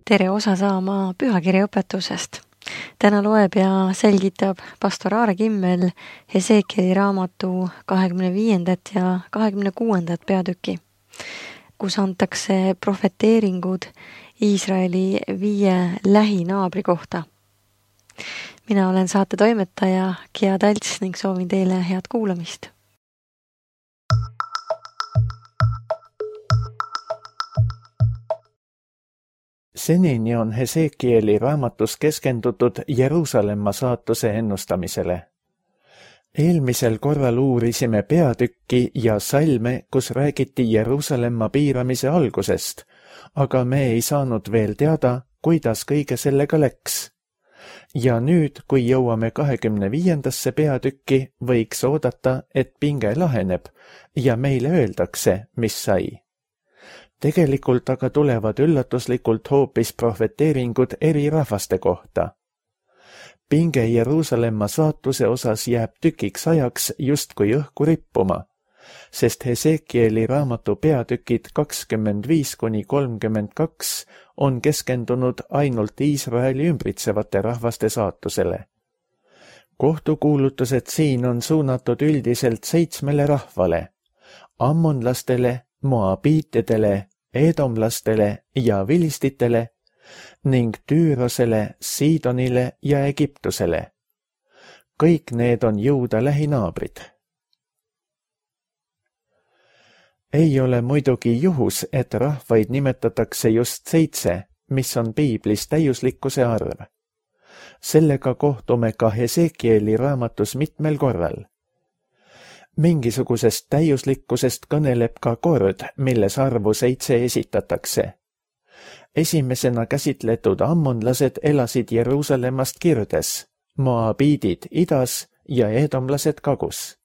tere osa saama pühakirja õpetusest. Täna loeb ja selgitab pastor Aare Kimmel Hesekieli raamatu 25. ja 26. peatüki, kus antakse profeteeringud Iisraeli 5 lähinaabri kohta. Mina olen saate toimetaja Kia Talts ning soovin teile head kuulamist. Senini on Hesekieli raamatus keskendutud Jeruusalemma saatuse ennustamisele. Eelmisel korral uurisime peatükki ja salme, kus räägiti Jeruusalemma piiramise algusest, aga me ei saanud veel teada, kuidas kõige sellega läks. Ja nüüd, kui jõuame 25. peatükki, võiks oodata, et pinge laheneb ja meile öeldakse, mis sai. Tegelikult aga tulevad üllatuslikult hoopis profeteeringud eri rahvaste kohta. Pinge Jeruusalemma saatuse osas jääb tükiks ajaks justkui õhku rippuma, sest Hesekieli raamatu peatükid 25–32 on keskendunud ainult Iisraeli ümbritsevate rahvaste saatusele. Kohtukuulutused siin on suunatud üldiselt 7 rahvale: ammonlastele, moabiitidele, edomlastele ja vilistitele ning Tüürosele, Siidonile ja Egiptusele. Kõik need on Juuda lähinaabrid. Ei ole muidugi juhus, et rahvaid nimetatakse just 7, mis on piiblis täiuslikkuse arv. Sellega kohtume ka Hesekieli raamatus mitmel korral. Mingisugusest täiuslikkusest kõneleb ka kord, milles arvu 7 esitatakse. Esimesena käsitletud ammonlased elasid Jeruusalemmast kirdes, moabiidid idas ja edomlased kagus.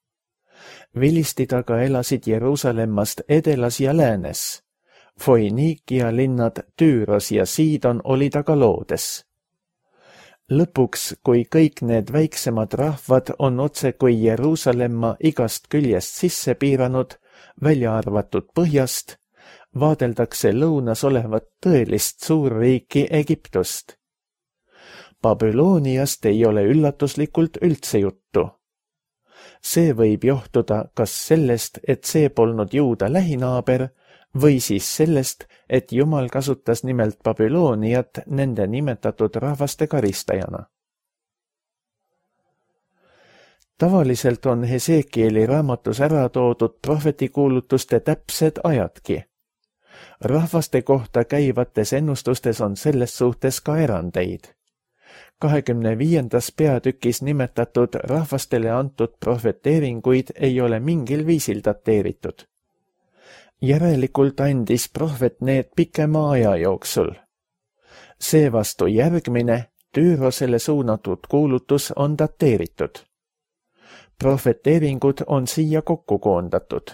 Vilistid aga elasid Jeruusalemmast edelas ja läänes. Foiniikia linnad Tüüros ja Siidon olid aga loodes. Lõpuks, kui kõik need väiksemad rahvad on otse kui Jeruusalemma igast küljest sisse piiranud, välja arvatud põhjast, vaadeldakse lõunas olevat tõelist suurriiki Egiptust. Babyloniast ei ole üllatuslikult üldse juttu. See võib johtuda kas sellest, et see polnud Juuda lähinaaber, või siis sellest, et Jumal kasutas nimelt Babyloniat nende nimetatud rahvaste karistajana. Tavaliselt on Hesekieli raamatus ära toodud prohvetikuulutuste täpsed ajadki. Rahvaste kohta käivates ennustustes on selles suhtes ka erandeid. 25. peatükis nimetatud rahvastele antud profeteeringuid ei ole mingil viisil dateeritud. Järelikult andis prohvet need pikema aja jooksul. Seevastu järgmine, Tüürosele suunatud kuulutus on dateeritud. Profeteeringud on siia kokku koondatud.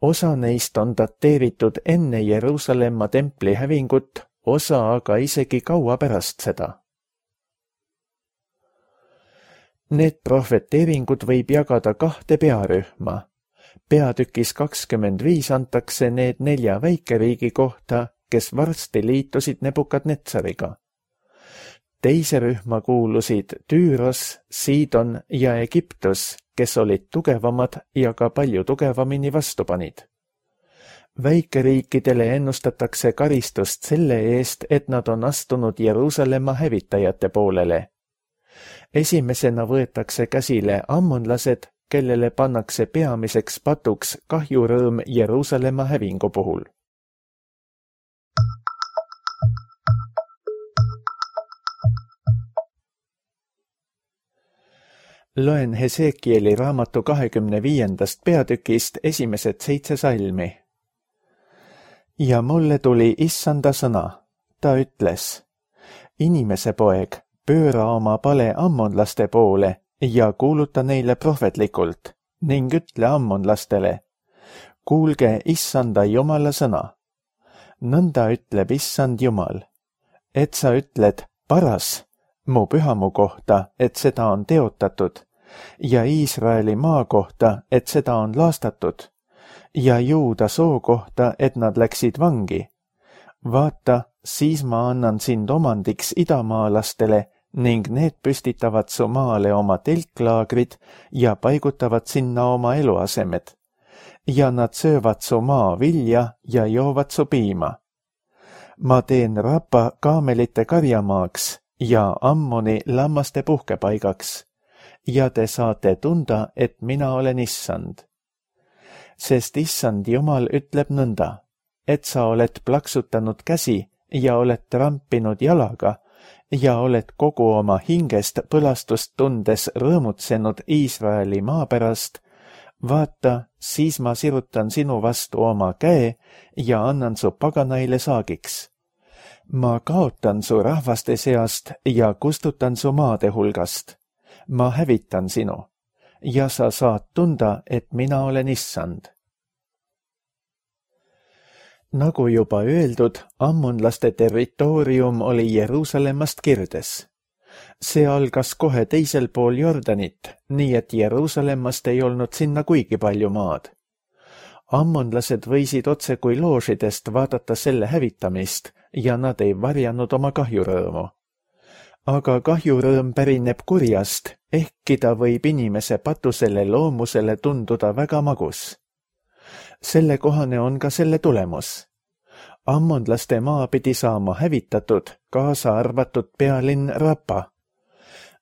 Osa neist on dateeritud enne Jeruusalemma templi hävingut, osa aga isegi kaua pärast seda. Need profeteeringud võib jagada 2 pearühma. Peatükis 25 antakse need 4 väikeriigi kohta, kes varsti liitusid Nebukadnetsariga. Teise rühma kuulusid Tüüros, Siidon ja Egiptus, kes olid tugevamad ja ka palju tugevamini vastupanid. Väikeriikidele ennustatakse karistust selle eest, et nad on astunud Jeruusalemma hävitajate poolele. Esimesena võetakse käsile ammonlased, kellele pannakse peamiseks patuks kahjurõõm Jeruusalemma hävingu puhul. Loen Hesekieli raamatu 25. peatükist esimesed 7 salmi. Ja mulle tuli issanda sõna. Ta ütles: inimese poeg, pööra oma pale ammonlaste poole ja kuuluta neile prohvetlikult ning ütle ammonlastele: kuulge issanda Jumala sõna. Nõnda ütleb issand Jumal, et sa ütled paras mu pühamu kohta, et seda on teotatud, ja Iisraeli maa kohta, et seda on laastatud, ja Juuda soo kohta, et nad läksid vangi. Vaata, siis ma annan sind omandiks idamaalastele ning need püstitavad su maale oma telklaagrid ja paigutavad sinna oma eluasemed. Ja nad söövad su maa vilja ja joovad su piima. Ma teen Rapa kaamelite karjamaaks ja Ammoni lammaste puhkepaigaks. Ja te saate tunda, et mina olen issand. Sest issand Jumal ütleb nõnda, et sa oled plaksutanud käsi ja oled trampinud jalaga ja oled kogu oma hingest põlastust tundes rõõmutsenud Iisraeli maa pärast, vaata, siis ma sirutan sinu vastu oma käe ja annan su paganaile saagiks. Ma kaotan su rahvaste seast ja kustutan su maade hulgast. Ma hävitan sinu ja sa saad tunda, et mina olen issand. Nagu juba öeldud, ammonlaste territoorium oli Jeruusalemmast kirdes. See algas kohe teisel pool Jordanit, nii et Jeruusalemmast ei olnud sinna kuigi palju maad. Ammonlased võisid otse kui loožidest vaadata selle hävitamist ja nad ei varjanud oma kahjurõõmu. Aga kahjurõõm pärineb kurjast, ehkki ta võib inimese patusele loomusele tunduda väga magus. Sellekohane on ka selle tulemus. Ammonlaste maa pidi saama hävitatud, kaasa arvatud pealinn Rapa.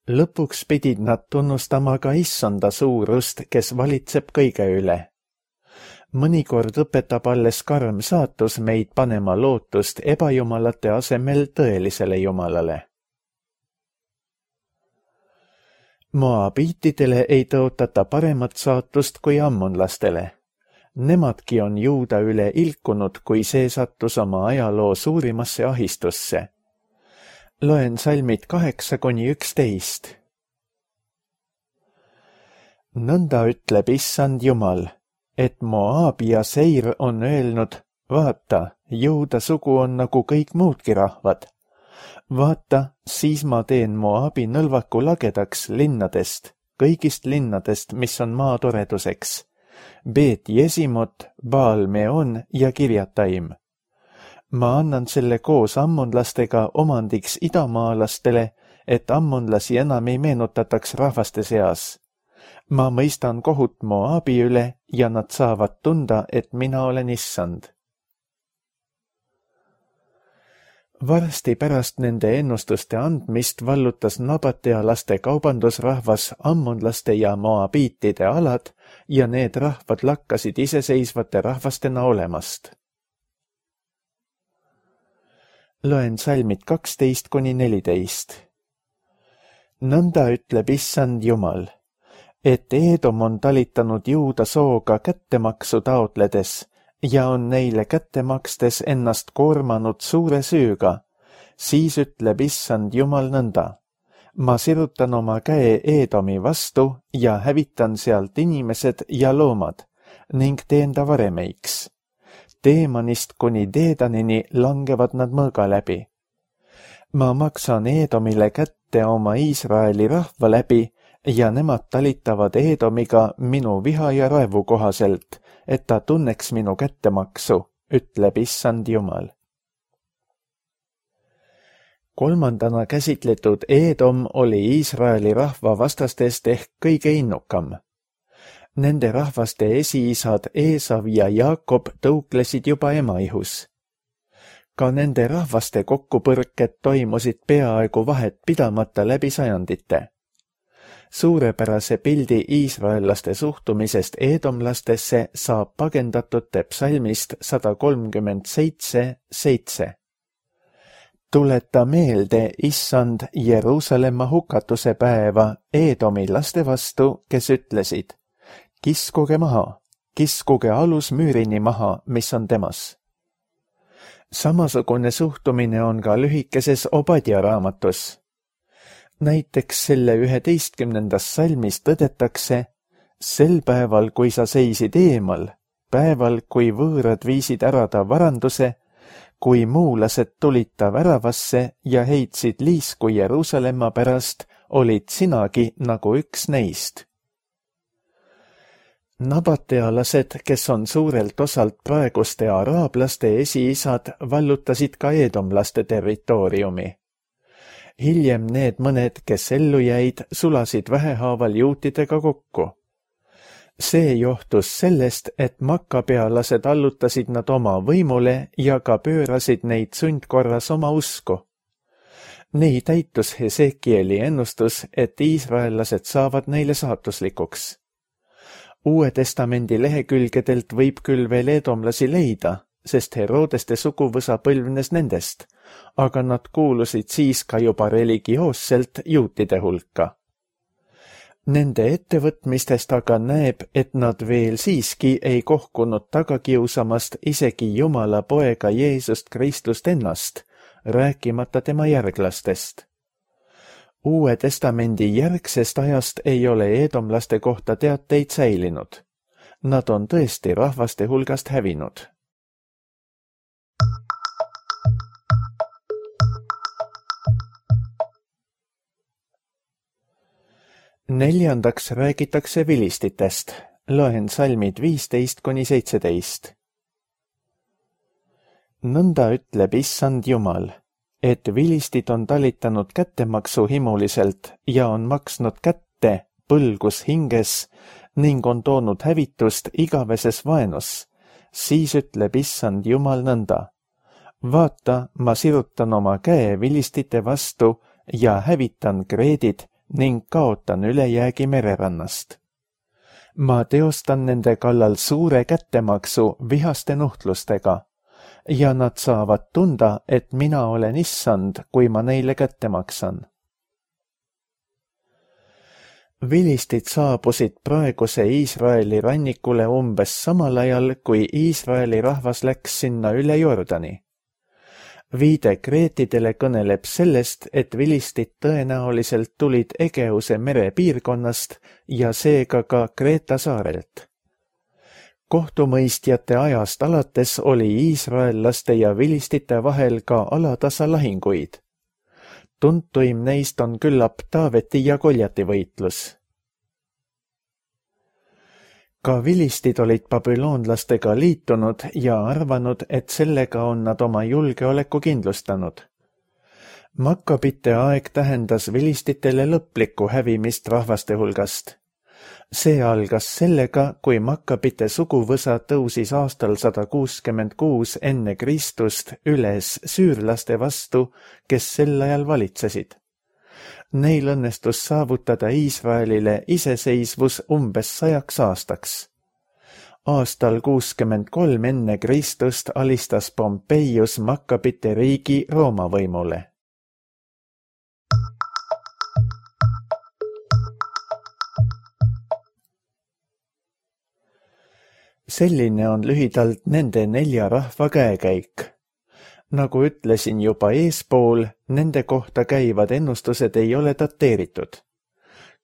Lõpuks pidid nad tunnustama ka issanda suurust, kes valitseb kõige üle. Mõnikord õpetab alles karm saatus meid panema lootust ebajumalate asemel tõelisele jumalale. Moabiitidele ei tõotata paremat saatust kui ammonlastele. Nemadki on Juuda üle ilkunud, kui see sattus oma ajaloo suurimasse ahistusse. Loen salmid 8–11. Nõnda ütleb issand Jumal, et Moab ja Seir on öelnud, vaata, Juuda sugu on nagu kõik muudki rahvad. Vaata, siis ma teen Moabi nõlvaku lagedaks linnadest, kõigist linnadest, mis on maa toreduseks. Beet Jesimot, Baal Meon ja Kirjataim. Ma annan selle koos ammonlastega omandiks idamaalastele, et ammonlasi enam ei meenutataks rahvaste seas. Ma mõistan kohut Moabi üle ja nad saavad tunda, et mina olen issand. Varsti pärast nende ennustuste andmist vallutas nabatealaste kaubandusrahvas ammonlaste ja moabiitide alad ja need rahvad lakkasid iseseisvate rahvastena olemast. Loen salmid 12–14. Nõnda ütleb issand Jumal, et Eedom on talitanud Juuda sooga kättemaksu taotledes ja on neile kätte makstes ennast koormanud suure süüga, siis ütleb issand Jumal nõnda. Ma sirutan oma käe Eedomi vastu ja hävitan sealt inimesed ja loomad ning teen ta varemeiks. Teemanist kuni Deedanini langevad nad mõõga läbi. Ma maksan Eedomile kätte oma Iisraeli rahva läbi ja nemad talitavad Eedomiga minu viha ja raevu kohaselt, et ta tunneks minu kättemaksu, ütleb issand Jumal. Kolmandana käsitletud Eedom oli Iisraeli rahva vastastest ehk kõige innukam. Nende rahvaste esiisad Eesav ja Jaakob tõuklesid juba emaihus. Ka nende rahvaste kokkupõrked toimusid peaaegu vahet pidamata läbi sajandite. Suurepärase pildi iisraellaste suhtumisest eedomlastesse saab pagendatute psalmist 137:7. Tuleta meelde, issand, Jeruusalemma hukatuse päeva Eedomi laste vastu, kes ütlesid, kiskuge maha, kiskuge alus müürini maha, mis on temas. Samasugune suhtumine on ka lühikeses Obadja raamatus. Näiteks selle 11. salmis tõdetakse, sel päeval, kui sa seisid eemal, päeval, kui võõrad viisid ära ta varanduse, kui muulased tulid ta väravasse ja heitsid liisku Jeruusalemma pärast, olid sinagi nagu üks neist. Nabatealased, kes on suurelt osalt praeguste araablaste esiisad, vallutasid ka eedomlaste territooriumi. Hiljem need mõned, kes ellu jäid, sulasid vähehaaval juutidega kokku. See johtus sellest, et makkapealased allutasid nad oma võimule ja ka pöörasid neid sundkorras oma usku. Nii täitus Hesekieli ennustus, et iisraellased saavad neile saatuslikuks. Uue testamendi lehekülgedelt võib küll veel eedomlasi leida, sest Herodeste suguvõsa põlvnes nendest, aga nad kuulusid siis ka juba religioosselt juutide hulka. Nende ettevõtmistest aga näeb, et nad veel siiski ei kohkunud tagakiusamast isegi Jumala poega Jeesust Kristust ennast, rääkimata tema järglastest. Uue testamendi järgsest ajast ei ole eedomlaste kohta teateid säilinud. Nad on tõesti rahvaste hulgast hävinud. Neljandaks räägitakse vilistitest. Loen salmid 15–17. Nõnda ütleb issand Jumal, et vilistid on talitanud kättemaksu himuliselt ja on maksnud kätte põlgus hinges ning on toonud hävitust igaveses vaenus, siis ütleb issand Jumal nõnda. Vaata, ma sirutan oma käe vilistite vastu ja hävitan Kreedid ning kaotan ülejäägi mererannast. Ma teostan nende kallal suure kättemaksu vihaste nuhtlustega ja nad saavad tunda, et mina olen issand, kui ma neile kätte maksan. Vilistid saabusid praeguse Iisraeli rannikule umbes samal ajal, kui Iisraeli rahvas läks sinna üle Jordani. Viide kreetidele kõneleb sellest, et vilistid tõenäoliselt tulid Egeuse mere piirkonnast ja seega ka Kreeta saarelt. Kohtumõistjate ajast alates oli iisraellaste ja vilistite vahel ka alatasa lahinguid. Tuntuim neist on küllap Taaveti ja Goljati võitlus. Ka vilistid olid babüloonlastega liitunud ja arvanud, et sellega on nad oma julgeoleku kindlustanud. Makkabite aeg tähendas vilistitele lõplikku hävimist rahvaste hulgast. See algas sellega, kui Makkabite suguvõsa tõusis aastal 166 enne Kristust üles süürlaste vastu, kes sel ajal valitsesid. Neil õnnestus saavutada Iisraelile iseseisvus umbes 100 aastaks. Aastal 63 enne Kristust alistas Pompeius Makkabite riigi Rooma võimule. Selline on lühidalt nende 4 rahva käekäik. Nagu ütlesin juba eespool, nende kohta käivad ennustused ei ole dateeritud.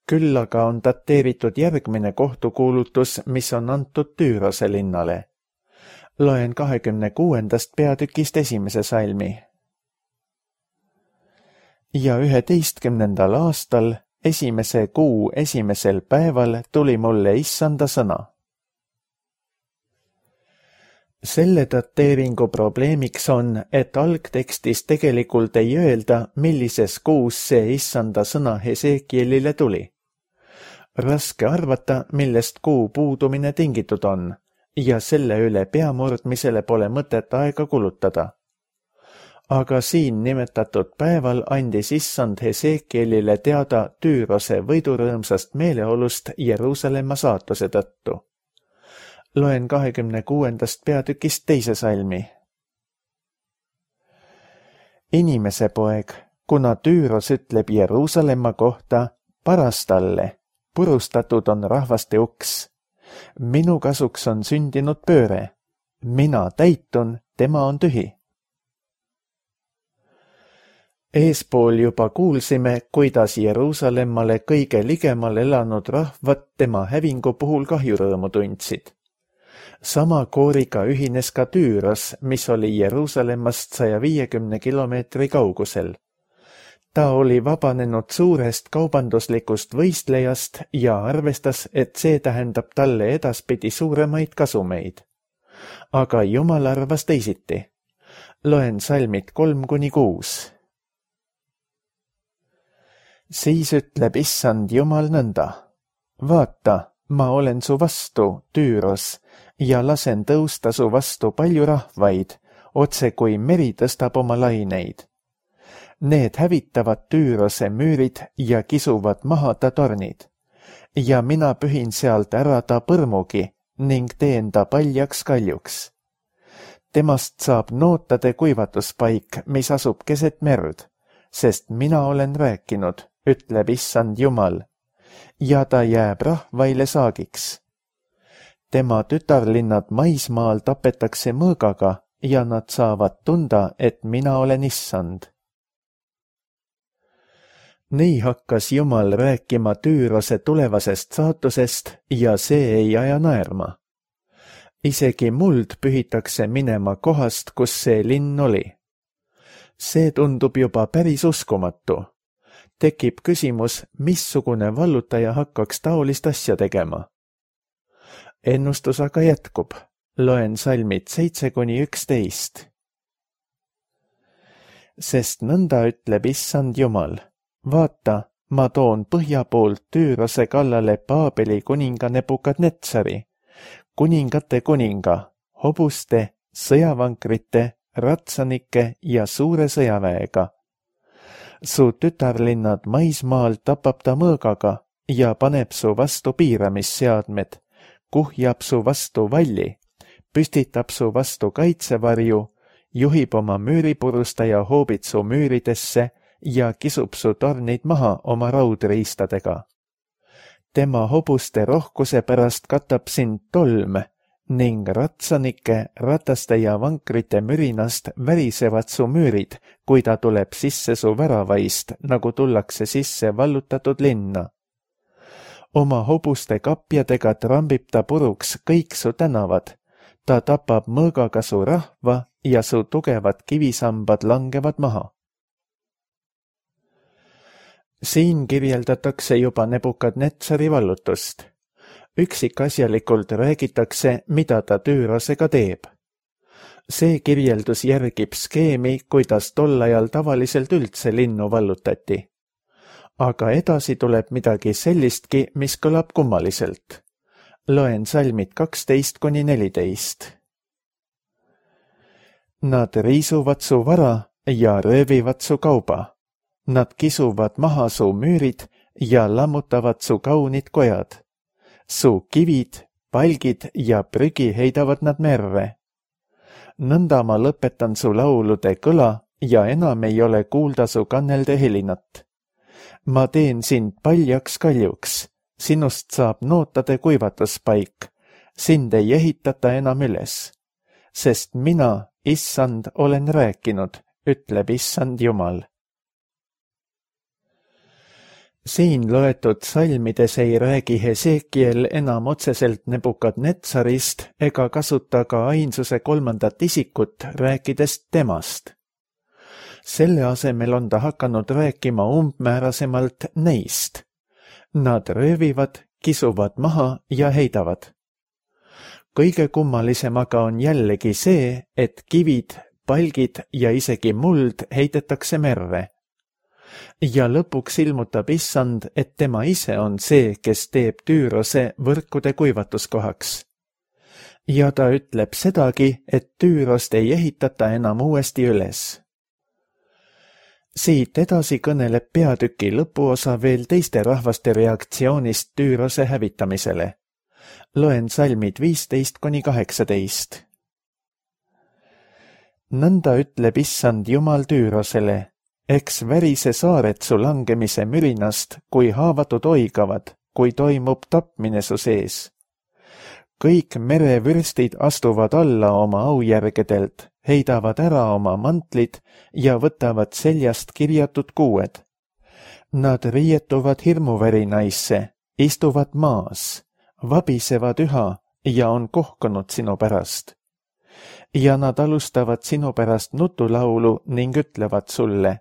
Küll aga on dateeritud järgmine kohtukuulutus, mis on antud Tüürose linnale. Loen 26. peatükist 1. salmi. Ja 11. aastal, 1. kuu 1. päeval tuli mulle issanda sõna. Selle dateeringu probleemiks on, et algtekstis tegelikult ei öelda, millises kuus see issanda sõna Hesekielile tuli. Raske arvata, millest kuu puudumine tingitud on, ja selle üle peamurdmisele pole mõtet aega kulutada. Aga siin nimetatud päeval andis issand Hesekielile teada Tüürose võidurõõmsast meeleolust Jeruusalemma saatuse tõttu. Loen 26. peatükist 2. salmi. Inimese poeg, kuna Tüüros ütleb Jeruusalemma kohta, paras talle, purustatud on rahvaste uks. Minu kasuks on sündinud pööre. Mina täitun, tema on tühi. Eespool juba kuulsime, kuidas Jeruusalemmale kõige ligemal elanud rahvad tema hävingu puhul kahjurõõmu tundsid. Sama kooriga ühines ka Tüüros, mis oli Jeruusalemmast 150 kilomeetri kaugusel. Ta oli vabanenud suurest kaubanduslikust võistlejast ja arvestas, et see tähendab talle edaspidi suuremaid kasumeid. Aga Jumal arvas teisiti. Loen salmid 3-6. Siis ütleb Issand Jumal nõnda. Vaata, ma olen su vastu, Tüüros, ja lasen tõusta su vastu palju rahvaid, otse kui meri tõstab oma laineid. Need hävitavad Tüürose müürid ja kisuvad maha ta tornid. Ja mina pühin sealt ära ta põrmugi ning teen ta paljaks kaljuks. Temast saab nootade kuivatuspaik, mis asub keset merd, sest mina olen rääkinud, ütleb Issand Jumal, ja ta jääb rahvaile saagiks. Tema tütarlinnad maismaal tapetakse mõõgaga ja nad saavad tunda, et mina olen Issand. Nii hakkas Jumal rääkima Tüürose tulevasest saatusest ja see ei aja naerma. Isegi muld pühitakse minema kohast, kus see linn oli. See tundub juba päris uskumatu. Tekib küsimus, missugune vallutaja hakkaks taolist asja tegema. Ennustus aga jätkub. Loen salmid 7-11. Sest nõnda ütleb Issand Jumal. Vaata, ma toon põhja poolt Tüürose kallale Paabeli kuninga Nebukadnetsari, kuningate kuninga, hobuste, sõjavankrite, ratsanike ja suure sõjaväega. Su tütarlinnad maismaal tapab ta mõõgaga ja paneb su vastu piiramisseadmed, kuhjab su vastu valli, püstitab su vastu kaitsevarju, juhib oma müüripurustaja hoobitsu müüridesse ja kisub su tornid maha oma raudriistadega. Tema hobuste rohkuse pärast katab sind tolm ning ratsanike, rataste ja vankrite mürinast värisevad su müürid, kui ta tuleb sisse su väravaist, nagu tullakse sisse vallutatud linna. Oma hobuste kapjadega trambib ta puruks kõik su tänavad, ta tapab mõõgaga su rahva ja su tugevad kivisambad langevad maha. Siin kirjeldatakse juba Nebukadnetsari vallutust. Üksikasjalikult räägitakse, mida ta Tüürosega teeb. See kirjeldus järgib skeemi, kuidas tol ajal tavaliselt üldse linnu vallutati. Aga edasi tuleb midagi sellistki, mis kõlab kummaliselt. Loen salmid 12-14. Nad riisuvad su vara ja röövivad su kauba. Nad kisuvad maha su müürid ja lammutavad su kaunid kojad. Su kivid, palgid ja prügi heidavad nad merre. Nõnda ma lõpetan su laulude kõla ja enam ei ole kuulda su kannelde helinat. Ma teen sind paljaks kaljuks, sinust saab nootade kuivatuspaik, sind ei ehitata enam üles. Sest mina, Issand, olen rääkinud, ütleb Issand Jumal. Siin loetud salmides ei räägi Hesekiel enam otseselt Nebukadnetsarist ega kasuta ka ainsuse kolmandat isikut, rääkides temast. Selle asemel on ta hakanud rääkima umbmäärasemalt neist. Nad röövivad, kisuvad maha ja heidavad. Kõige kummalisem aga on jällegi see, et kivid, palgid ja isegi muld heidetakse merre. Ja lõpuks ilmutab Issand, et tema ise on see, kes teeb Tüürose võrkude kuivatuskohaks. Ja ta ütleb sedagi, et Tüürost ei ehitata enam uuesti üles. Siit edasi kõneleb peatüki lõpuosa veel teiste rahvaste reaktsioonist Tüürose hävitamisele. Loen salmid 15-18. Nõnda ütleb Issand Jumal Tüürosele, eks värise saared su langemise mürinast, kui haavatud oigavad, kui toimub tapmine su sees. Kõik merevürstid astuvad alla oma aujärgedelt, heidavad ära oma mantlid ja võtavad seljast kirjatud kuued. Nad riietuvad hirmuvärinaisse, istuvad maas, vabisevad üha ja on kohkunud sinu pärast. Ja nad alustavad sinu pärast nutulaulu ning ütlevad sulle,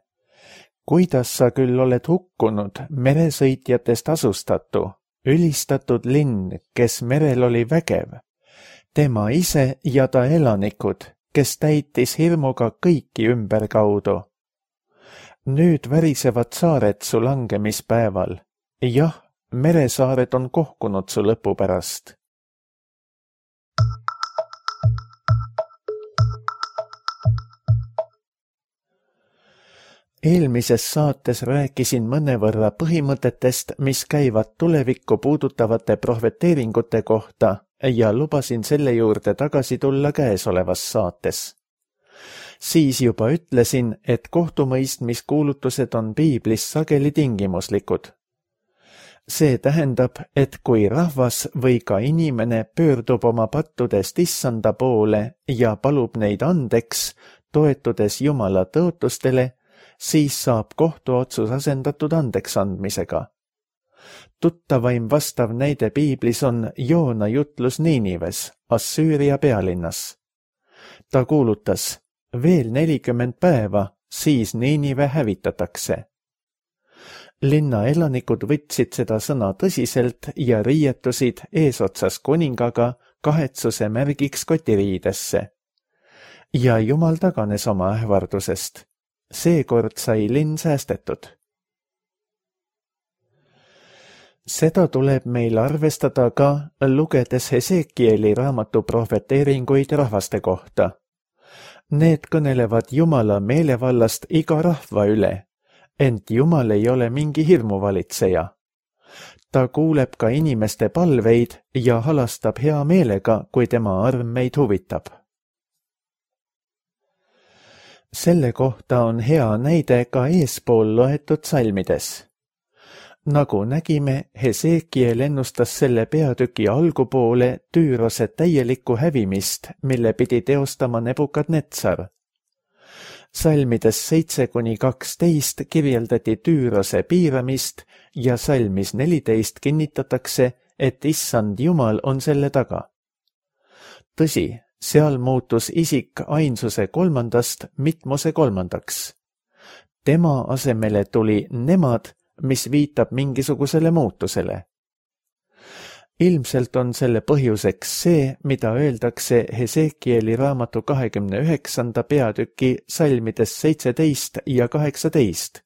kuidas sa küll oled hukkunud, meresõitjatest asustatu, ülistatud linn, kes merel oli vägev, tema ise ja ta elanikud, kes täitis hirmuga kõiki ümberkaudu. Nüüd värisevad saared su langemispäeval. Jah, meresaared on kohkunud su lõpu pärast. Eelmises saates rääkisin mõnevõrra põhimõtetest, mis käivad tulevikku puudutavate prohveteeringute kohta ja lubasin selle juurde tagasi tulla käesolevas saates. Siis juba ütlesin, et kohtumõistmiskuulutused on piiblis sageli tingimuslikud. See tähendab, et kui rahvas või ka inimene pöördub oma pattudest issanda poole ja palub neid andeks, toetudes Jumala tõotustele, siis saab kohtuotsus asendatud andeksandmisega. Tuttavaim vastav näide piiblis on Joona jutlus Niinives, Assüüria pealinnas. Ta kuulutas, veel 40 päeva, siis Niinive hävitatakse. Linna elanikud võtsid seda sõna tõsiselt ja riietusid eesotsas kuningaga kahetsuse märgiks kotiriidesse. Ja Jumal taganes oma ähvardusest. Seekord sai linn säästetud. Seda tuleb meil arvestada ka, lugedes Hesekieli raamatu prohveteeringuid rahvaste kohta. Need kõnelevad Jumala meelevallast iga rahva üle, ent Jumal ei ole mingi hirmuvalitseja. Ta kuuleb ka inimeste palveid ja halastab hea meelega, kui tema arm meid huvitab. Selle kohta on hea näide ka eespool loetud salmides. Nagu nägime, Hesekiel ennustas selle peatüki algupoole Tüürose täielikku hävimist, mille pidi teostama Nebukadnetsar. Salmides 7-12 kirjeldati Tüürose piiramist ja salmis 14 kinnitatakse, et issand Jumal on selle taga. Tõsi, seal muutus isik ainsuse 3. mitmuse 3. Tema asemele tuli nemad, mis viitab mingisugusele muutusele. Ilmselt on selle põhjuseks see, mida öeldakse Hesekieli raamatu 29. peatüki salmides 17 ja 18.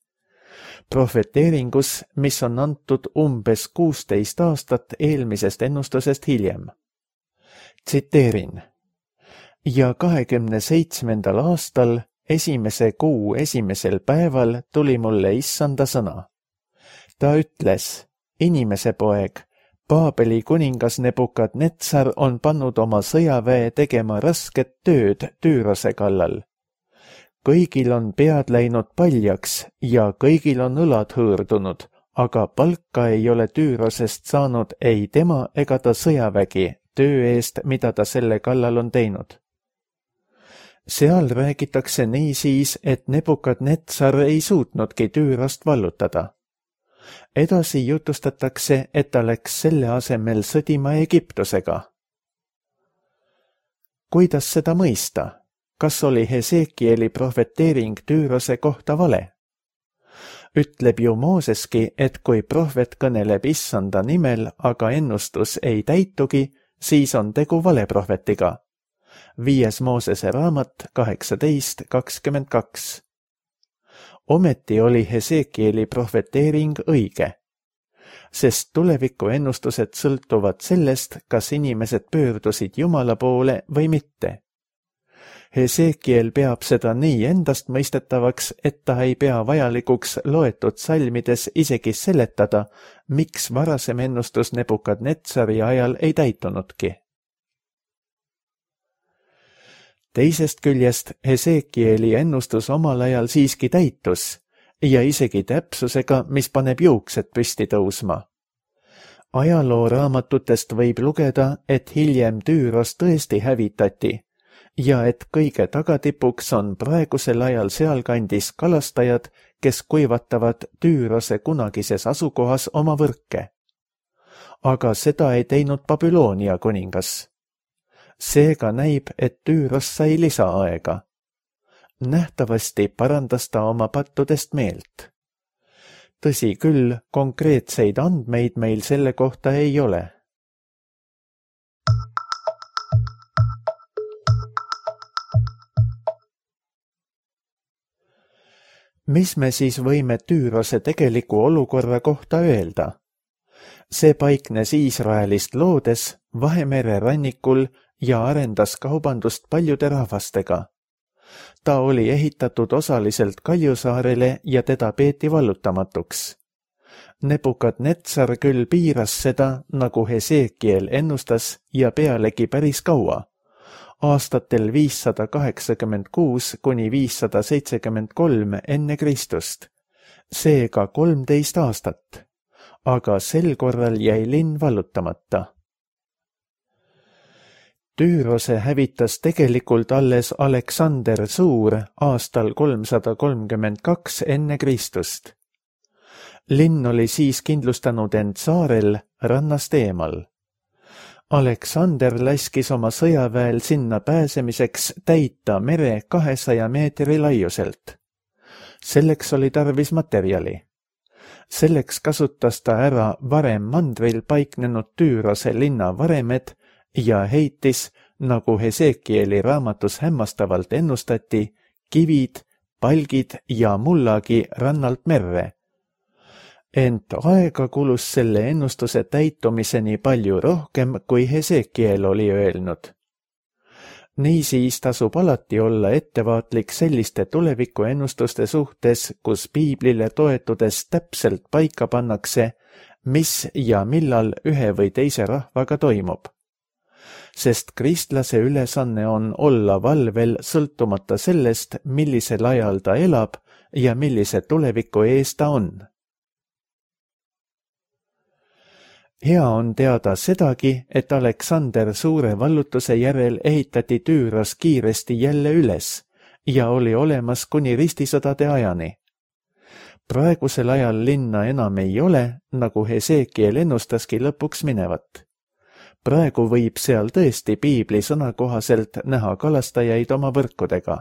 Prohveteeringus, mis on antud umbes 16 aastat eelmisest ennustusest hiljem. Tsiteerin. Ja 27. aastal, esimese kuu esimesel päeval tuli mulle issanda sõna. Ta ütles, inimese poeg, Paabeli kuningas Nebukadnetsar on pannud oma sõjaväe tegema rasket tööd Tüürose kallal. Kõigil on pead läinud paljaks ja kõigil on õlad hõõrdunud, aga palka ei ole Tüürosest saanud ei tema ega ta sõjavägi töö eest, mida ta selle kallal on teinud. Seal räägitakse niisiis, et Nebukadnetsar ei suutnudki Tüürost vallutada. Edasi jutustatakse, et ta läks selle asemel sõdima Egiptusega. Kuidas seda mõista? Kas oli Hesekieli prohveteering Tüürose kohta vale? Ütleb ju Mooseski, et kui prohvet kõneleb issanda nimel, aga ennustus ei täitugi, siis on tegu valeprohvetiga. 5. Moosese raamat 18:22. Ometi oli Hesekieli prohveteering õige, sest tuleviku ennustused sõltuvad sellest, kas inimesed pöördusid Jumala poole või mitte. Hesekiel peab seda nii endast mõistetavaks, et ta ei pea vajalikuks loetud salmides isegi seletada, miks varasem ennustus Nebukadnetsari ajal ei täitunudki. Teisest küljest Hesekieli ennustus omal ajal siiski täitus ja isegi täpsusega, mis paneb juuksed püsti tõusma. Ajalooraamatutest võib lugeda, et hiljem Tüüros tõesti hävitati ja et kõige tagatipuks on praegusel ajal sealkandis kalastajad, kes kuivatavad Tüürose kunagises asukohas oma võrke. Aga seda ei teinud Babyloonia kuningas. Seega näib, et Tüüros sai lisaaega. Nähtavasti parandas ta oma pattudest meelt. Tõsi küll, konkreetseid andmeid meil selle kohta ei ole. Mis me siis võime Tüürose tegeliku olukorra kohta öelda? See paiknes Iisraelist loodes Vahemere rannikul ja arendas kaubandust paljude rahvastega. Ta oli ehitatud osaliselt Kaljusaarele ja teda peeti vallutamatuks. Nebukadnetsar küll piiras seda, nagu Hesekiel ennustas ja pealegi päris kaua, aastatel 586 kuni 573 enne Kristust, seega 13 aastat, aga sel korral jäi linn vallutamata. Tüürose hävitas tegelikult alles Aleksander Suur aastal 332 enne Kristust. Linn oli siis kindlustanud end saarel rannast eemal. Aleksander laskis oma sõjaväel sinna pääsemiseks täita mere 200 meetri laiuselt. Selleks oli tarvis materjali. Selleks kasutas ta ära varem mandril paiknenud Tüürose linna varemed ja heitis, nagu Hesekieli raamatus hämmastavalt ennustati, kivid, palgid ja mullagi rannalt merre. Ent aega kulus selle ennustuse täitumiseni palju rohkem, kui Hesekiel oli öelnud. Niisiis tasub alati olla ettevaatlik selliste tulevikuennustuste suhtes, kus piiblile toetudes täpselt paika pannakse, mis ja millal ühe või teise rahvaga toimub. Sest kristlase ülesanne on olla valvel sõltumata sellest, millisel ajal ta elab ja millise tuleviku ees ta on. Hea on teada sedagi, et Aleksander Suure vallutuse järel ehitati Tüüros kiiresti jälle üles ja oli olemas kuni ristisõdade ajani. Praegusel ajal linna enam ei ole, nagu Hesekiel ennustaski lõpuks minevat. Praegu võib seal tõesti piibli sõna kohaselt näha kalastajaid oma võrkudega.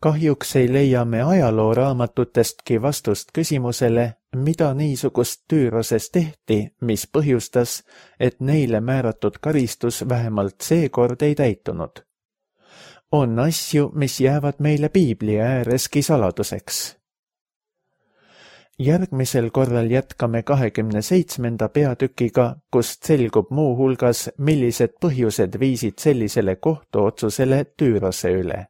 Kahjuks ei leia me ajalooraamatutestki vastust küsimusele, mida niisugust Tüüroses tehti, mis põhjustas, et neile määratud karistus vähemalt seekord ei täitunud. On asju, mis jäävad meile piibli ääreski saladuseks. Järgmisel korral jätkame 27. peatükiga, kust selgub muu hulgas, millised põhjused viisid sellisele kohtuotsusele Tüürose üle.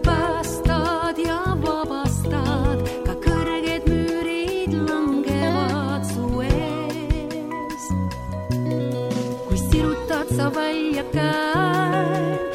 Päästad ja vabastad, ka kõrged müürid langevad su ees. Kui sirutad sa välja käed,